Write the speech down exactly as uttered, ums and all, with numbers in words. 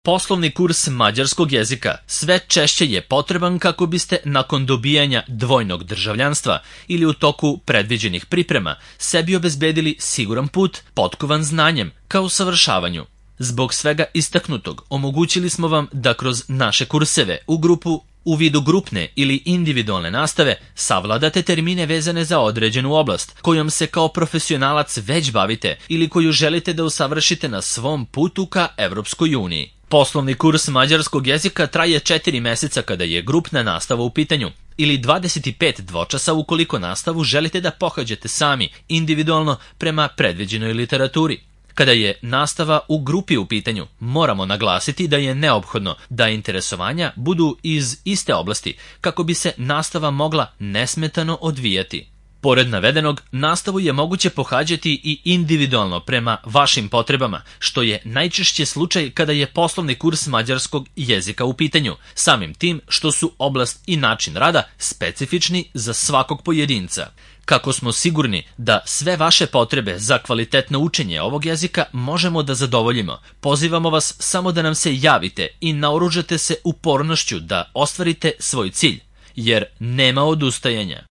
Poslovni kurs mađarskog jezika sve češće je potreban kako biste nakon dobijanja dvojnog državljanstva ili u toku predviđenih priprema sebi obezbedili siguran put potkovan znanjem ka usavršavanju. Zbog svega istaknutog omogućili smo vam da kroz naše kurseve u grupu u vidu grupne ili individualne nastave savladate termine vezane za određenu oblast kojom se kao profesionalac već bavite ili koju želite da usavršite na svom putu ka Evropskoj uniji. Poslovni kurs mađarskog jezika traje četiri meseca kada je grupna nastava u pitanju ili dvadeset pet dvočasa ukoliko nastavu želite da pohađate sami, individualno prema predviđenoj literaturi. Kada je nastava u grupi u pitanju, moramo naglasiti da je neophodno da interesovanja budu iz iste oblasti kako bi se nastava mogla nesmetano odvijati. Pored navedenog, nastavu je moguće pohađati i individualno prema vašim potrebama, što je najčešće slučaj kada je poslovni kurs mađarskog jezika u pitanju, samim tim što su oblast i način rada specifični za svakog pojedinca. Kako smo sigurni da sve vaše potrebe za kvalitetno učenje ovog jezika možemo da zadovoljimo, pozivamo vas samo da nam se javite i naoružate se upornošću da ostvarite svoj cilj, jer nema odustajanja.